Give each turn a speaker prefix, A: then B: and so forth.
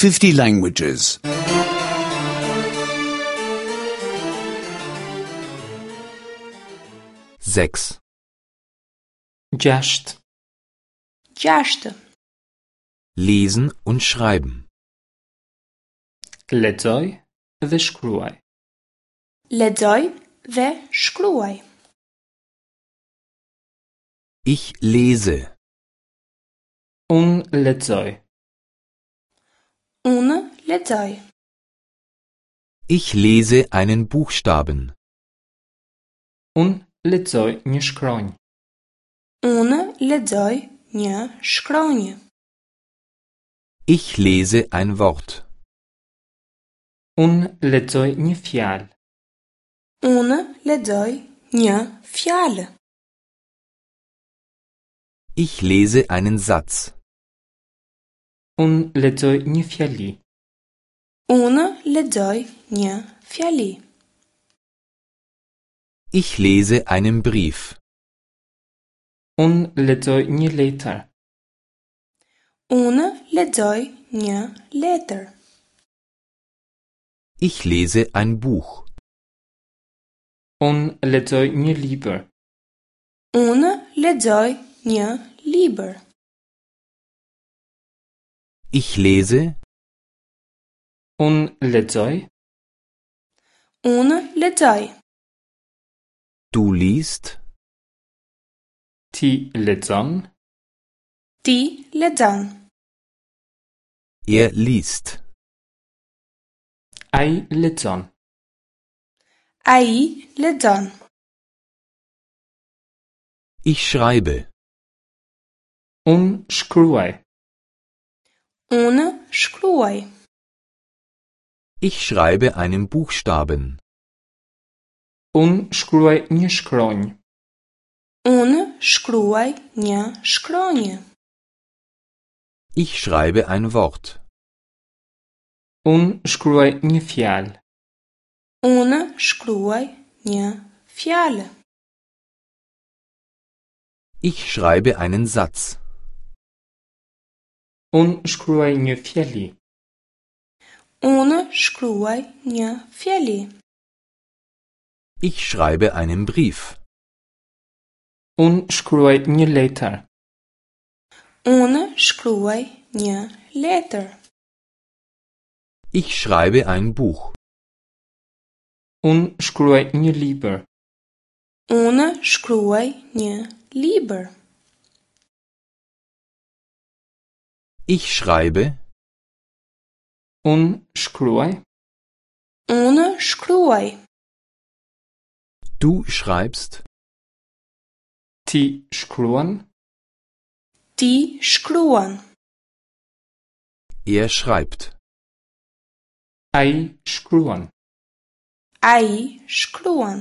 A: 50 languages.
B: 6.
C: Gjashtë.
D: Gjashtë.
B: Lesen und schreiben.
C: Lexoj dhe shkruaj.
D: Lexoj dhe shkruaj.
B: Ich lese.
C: Unë lexoj.
D: Unë lexoj.
B: Ich lese einen Buchstaben.
C: Unë lexoj një shkronjë.
D: Unë lexoj një shkronjë.
B: Ich lese ein Wort.
C: Unë lexoj një fjalë.
D: Unë lexoj një fjalë.
B: Ich lese einen Satz.
C: Unë lexoj një fjali.
D: Unë lexoj një fjali.
B: Ich lese einen Brief.
C: Unë lexoj një letër.
D: Unë lexoj një letër.
B: Ich lese ein Buch.
C: Unë lexoj një libër.
D: Unë lexoj një libër.
B: Ich lese.
C: Unë lexoj.
D: Unë lexoj.
B: Du liest.
C: Ti lexon.
D: Ti lexon.
B: Er liest.
C: Ai lexon.
D: Ai lexon.
B: Ich schreibe.
C: Unë shkruaj.
D: Unë shkruaj.
B: Ich schreibe einen Buchstaben.
C: Unë shkruaj një shkronjë.
D: Unë shkruaj një shkronjë.
B: Ich schreibe ein Wort.
C: Unë shkruaj një fjalë.
D: Unë shkruaj një fjalë.
B: Ich schreibe einen Satz.
C: Unë shkruaj një fjali.
D: Unë shkruaj një fjali.
B: Ich schreibe einen Brief.
C: Unë shkruaj një letër.
D: Unë shkruaj një letër.
B: Ich schreibe ein Buch.
C: Unë shkruaj një libër.
D: Unë shkruaj një libër.
B: Ich schreibe.
C: Unë shkruaj.
D: Unë shkruaj.
B: Du schreibst.
C: Ti shkruan.
D: Ti shkruan.
B: Er schreibt.
C: Ai shkruan.
D: Ai shkruan.